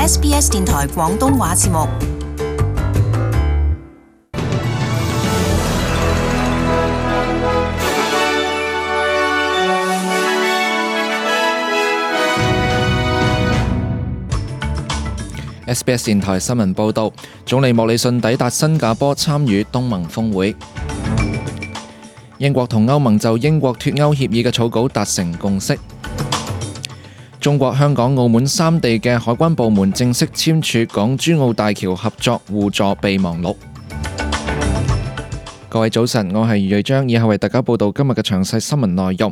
SBS 電台廣東話節目。SBS 電台新聞報導，總理莫里遜抵達新加坡參與東盟峰會。英國同歐盟就英國脱歐協議嘅草稿達成共識。中國香港澳門三地嘅海關部門正式簽署港珠澳大橋合作互助備忘錄。各位早晨，我係余瑞章，以下為大家報道今日嘅詳細新聞內容。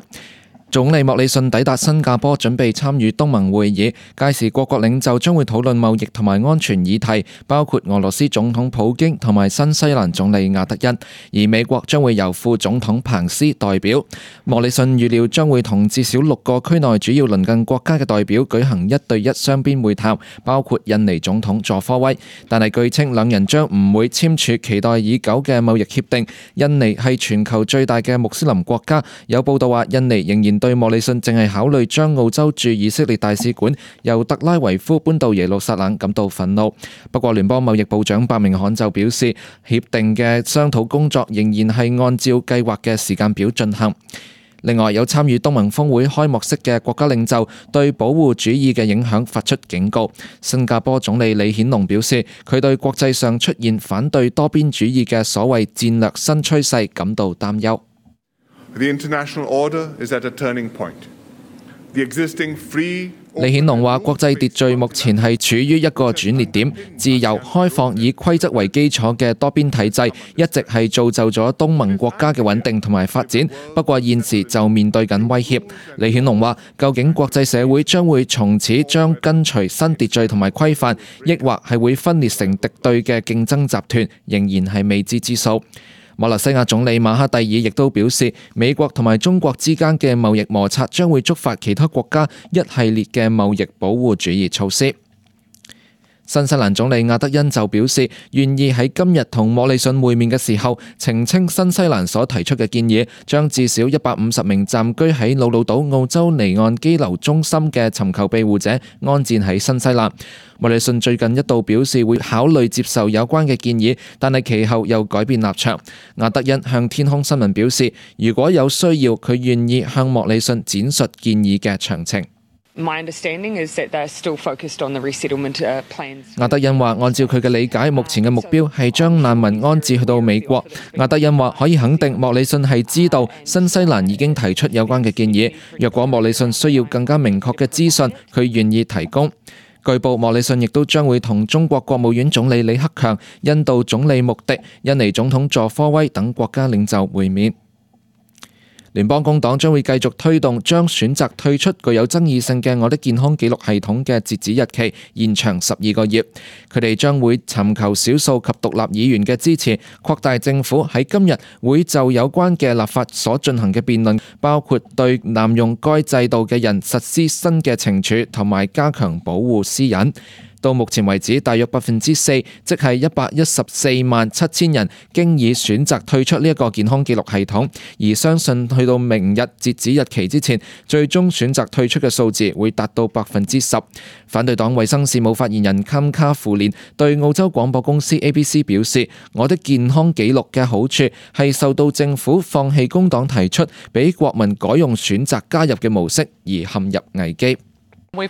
總理莫里遜抵達新加坡，準備參與東盟會議。屆時各國領袖將會討論貿易同埋安全議題，包括俄羅斯總統普京同埋新西蘭總理亞德恩。而美國將會由副總統彭斯代表。莫里遜預料將會同至少6個區內主要鄰近國家嘅代表舉行1對1雙邊會談，包括印尼總統佐科威。但係據稱兩人將唔會簽署期待已久嘅貿易協定。印尼係全球最大嘅穆斯林國家，有報道話印尼仍然對莫里遜淨係考慮將澳洲駐以色列大使館由特拉維夫搬到耶路撒冷感到憤怒。不過聯邦貿易部長白明翰就表示，協定嘅商討工作仍然係按照計劃嘅時間表進行。另外，有參與東盟峰會開幕式嘅國家領袖對保護主義嘅影響發出警告。新加坡總理李顯龍表示，佢對國際上出現反對多邊主義嘅所謂戰略新趨勢感到擔憂。The international order is at a turning point. The existing free 李顯龍話：國際秩序目前係處於一個轉捩點，自由、開放、以規則為基礎嘅多邊體制一直係造就咗東盟國家嘅穩定同埋發展。不過現時就面對緊威脅。李顯龍話：究竟國際社會將會從此將跟隨新秩序同埋規範，抑或係會分裂成敵對嘅競爭集團，仍然係未知之數。馬來西亞總理馬哈蒂爾亦都表示，美國同埋中國之間嘅貿易摩擦將會觸發其他國家一系列嘅貿易保護主義措施。新西蘭總理亞德恩就表示，願意喺今日同莫里遜會面嘅時候澄清新西蘭所提出嘅建議，將至少150名暫居喺魯魯島澳洲離岸羈留中心嘅尋求庇護者安置喺新西蘭。莫里遜最近一度表示會考慮接受有關嘅建議，但係其後又改變立場。亞德恩向天空新聞表示，如果有需要，佢願意向莫里遜展述建議嘅詳情。My understanding is that they're still focused on the resettlement plans. 亞德恩話：按照佢嘅理解，目前嘅目標係將難民安置去到美國。亞德恩話：可以肯定，莫里遜係知道新西蘭已經提出有關嘅建議。若果莫里遜需要更加明確嘅資訊，佢願意提供。據報，莫里遜亦都將會同中國國務院總理李克強、印度總理穆迪、印尼總統佐科威等國家領袖會面。聯邦工黨將會繼續推動將選擇退出具有爭議性嘅我的健康記錄系統嘅截止日期延長12個月。佢哋將會尋求少數及獨立議員嘅支持，擴大政府喺今日會就有關嘅立法所進行嘅辯論，包括對濫用該制度嘅人實施新嘅懲處同埋加強保護私隱。到目前為止，大約4%，即係1147000人，經已選擇退出呢一個健康記錄系統，而相信去到明日截止日期之前，最終選擇退出嘅數字會達到10%。反對黨衛生事務發言人坎卡芙蓮對澳洲廣播公司 ABC 表示：我的健康記錄嘅好處係受到政府放棄工黨提出俾國民改用選擇加入嘅模式而陷入危機。金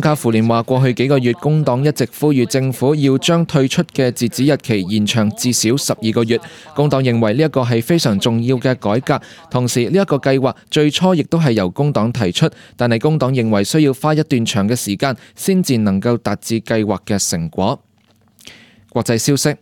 卡芙蓮話：過去幾個月，工黨一直呼籲政府要將退出嘅截止日期延長至少12個月。工黨認為呢一個係非常重要嘅改革，同時呢一個計劃最初亦都係由工黨提出，但係工黨認為需要花一段長嘅時間先至能夠達至計劃嘅成果。國際消息。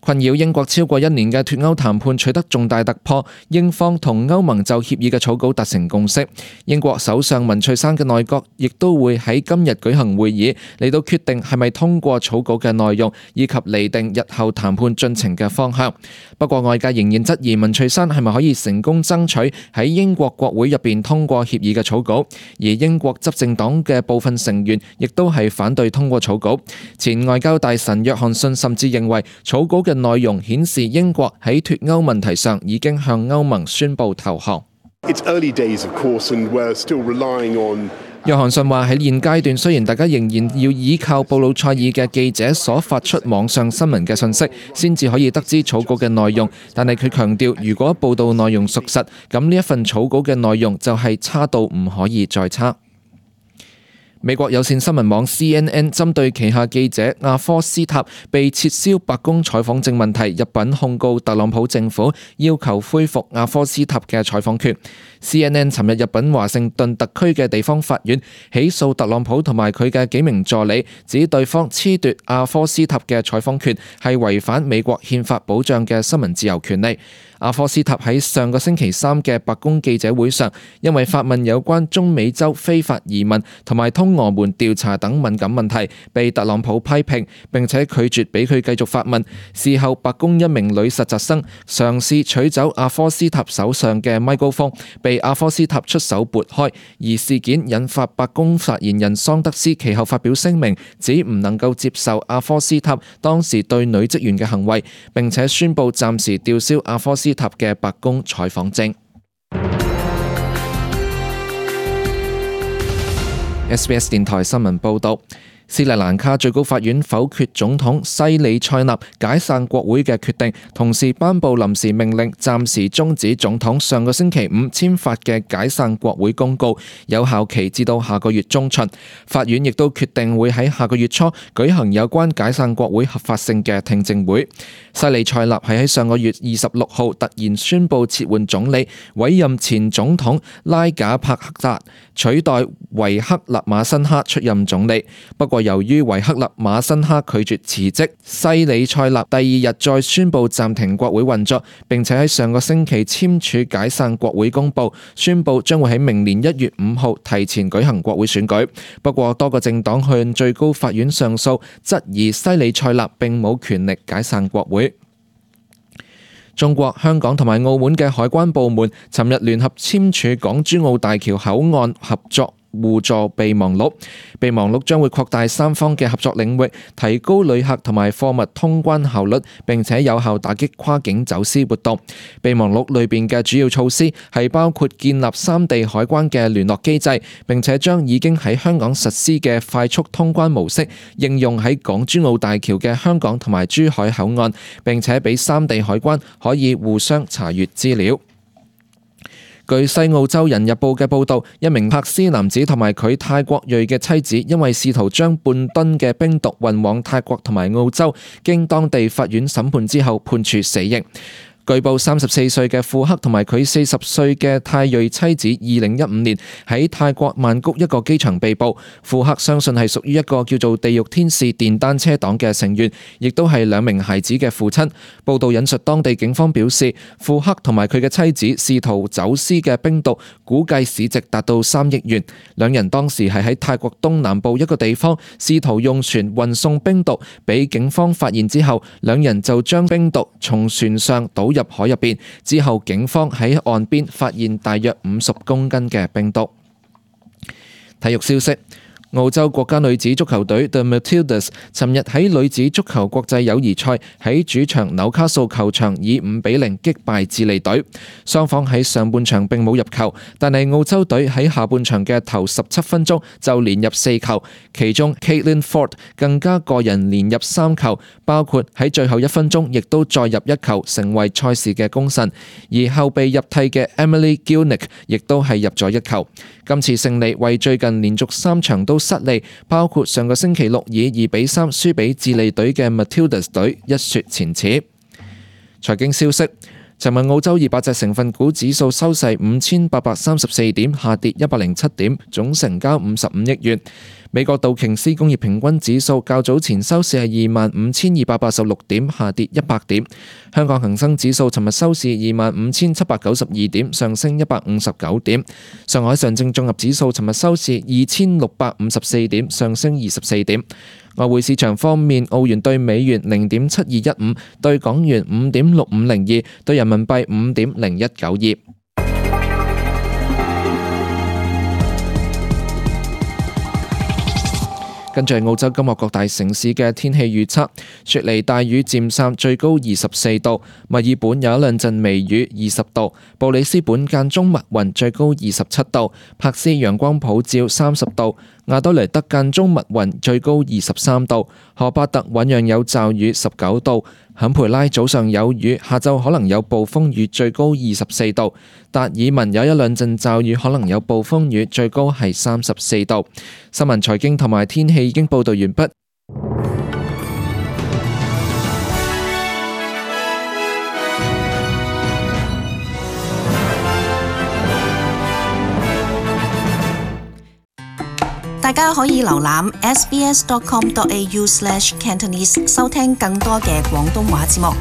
困擾英國超過1年嘅脫歐談判取得重大突破，英方同歐盟就協議嘅草稿達成共識。英國首相文翠珊嘅內閣亦都會喺今日舉行會議，嚟到決定係咪通過草稿嘅內容，以及釐定日後談判進程嘅方向。不過外界仍然質疑文翠珊係咪可以成功爭取喺英國國會入邊通過協議嘅草稿，而英國執政黨嘅部分成員亦都係反對通過草稿。前外交大臣約翰遜甚至認為草稿嘅內容顯示英國喺脫歐問題上已經向歐盟宣布投降。It's early days, of course, and we're still relying on 約翰遜話喺現階段，雖然大家仍然要依靠布魯塞爾嘅記者所發出網上新聞嘅信息，先至可以得知草稿嘅內容，但係佢強調，如果報道內容屬實，咁呢一份草稿嘅內容就係差到唔可以再差。美國有線新聞網 CNN 針對旗下記者阿科斯塔被撤銷白宮採訪證問題入稟控告特朗普政府，要求恢復阿科斯塔嘅採訪權。CNN 尋日入稟華盛頓特區嘅地方法院，起訴特朗普同埋佢嘅幾名助理，指對方褫奪阿科斯塔嘅採訪權係違反美國憲法保障嘅新聞自由權利。阿科斯塔喺上個星期三嘅白宮記者會上，因為發問有關中美洲非法移民同埋通俄門調查等敏感問題，被特朗普批評，並且拒絕俾佢繼續發問。事後，白宮一名女實習生嘗試取走阿科斯塔手上嘅咪高峰，被阿科斯塔出手撥開，而事件引發白宮發言人桑德斯其後發表聲明，指唔能夠接受阿科斯塔當時對女職員嘅行為，並且宣布暫時吊銷阿科斯塔嘅白宮採訪證。SBS 電台新聞報導。斯里蘭卡最高法院否決總統西里塞納解散國會嘅決定，同時頒布臨時命令，暫時終止總統上個星期五簽發嘅解散國會公告，有效期至到下個月中旬。法院亦都決定會喺下個月初舉行有關解散國會合法性嘅聽證會。西里塞納係喺上個月26號突然宣布撤換總理，委任前總統拉賈帕克達取代維克勒馬辛哈出任總理。不過由於維克勒馬辛哈拒絕辭職，西里塞納第二日再宣布暫停國會運作，並且喺上個星期簽署解散國會公報，宣布將會喺明年1月5號提前舉行國會選舉。不過多個政黨向最高法院上訴，質疑西里塞納並冇權力解散國會。中國、香港同埋澳門嘅海關部門尋日聯合簽署港珠澳大橋口岸合作互助備忘錄，備忘錄將會擴大三方嘅合作領域，提高旅客同埋貨物通關效率，並且有效打擊跨境走私活動。備忘錄裏邊嘅主要措施係包括建立三地海關嘅聯絡機制，並且將已經喺香港實施嘅快速通關模式應用喺港珠澳大橋嘅香港同埋珠海口岸，並且俾三地海關可以互相查閱資料。據《西澳洲人日報》嘅報導，一名柏斯男子同埋佢泰國裔嘅妻子，因為試圖將半噸嘅冰毒運往泰國同埋澳洲，經當地法院審判之後判處死刑。據報34歲嘅庫克同埋佢40歲嘅泰裔妻子2015年喺泰國曼谷一個機場被捕。庫克相信係屬於一個叫做地獄天使電單車黨嘅成員，亦都係兩名孩子嘅父親。報道引述當地警方表示，庫克同埋佢嘅妻子試圖走私嘅冰毒估計市值達到3億元。兩人當時係喺泰國東南部一個地方試圖用船運送冰毒，俾警方發現之後，兩人就將冰毒從船上倒入海入邊，之後警方喺岸邊發現大約50公斤嘅冰毒。體育消息，澳洲國家女子足球隊 The Matildas 尋日喺女子足球國際友誼賽喺主場紐卡素球場以5-0擊敗智利隊。雙方喺上半場並冇入球，但係澳洲隊喺下半場嘅頭17分鐘就連入4球，其中 Caitlin Ford 更加個人連入3球，包括喺最後1分鐘亦都再入1球，成為賽事嘅功臣。而後備入替嘅 Emily Gielnik 亦都係入咗1球。今次勝利為最近連續3場都失利，包括上個星期六以2-3輸俾智利隊嘅 Matildas 隊一雪前恥。財經消息，尋日澳洲200隻成分股指數收市5834點，下跌107點，總成交55億元。美國道瓊斯工業平均指數較早前收市係25,286點，下跌100點。香港恒生指數尋日收市25,792點，上升159點。上海上證綜合指數尋日收市2,654點，上升24點。外匯市場方面，澳元對美元0.7215，對港元5.6502，對人民幣5.0192。跟住係澳洲今日各大城市嘅天氣預測：雪梨大雨漸散，最高24度；墨爾本有一兩陣微雨，20度；布里斯本間中密雲，最高27度；珀斯陽光普照，30度；亞德萊德間中密雲，最高23度；荷巴特醞釀有驟雨，19度；坎培拉早上有雨，下晝可能有暴風雨，最高24度；達爾文有一兩陣驟雨，可能有暴風雨，最高係34度。新聞、財經同埋天氣已經報道完畢。大家可以瀏覽 sbs.com.au/cantonese 收聽更多嘅廣東話節目。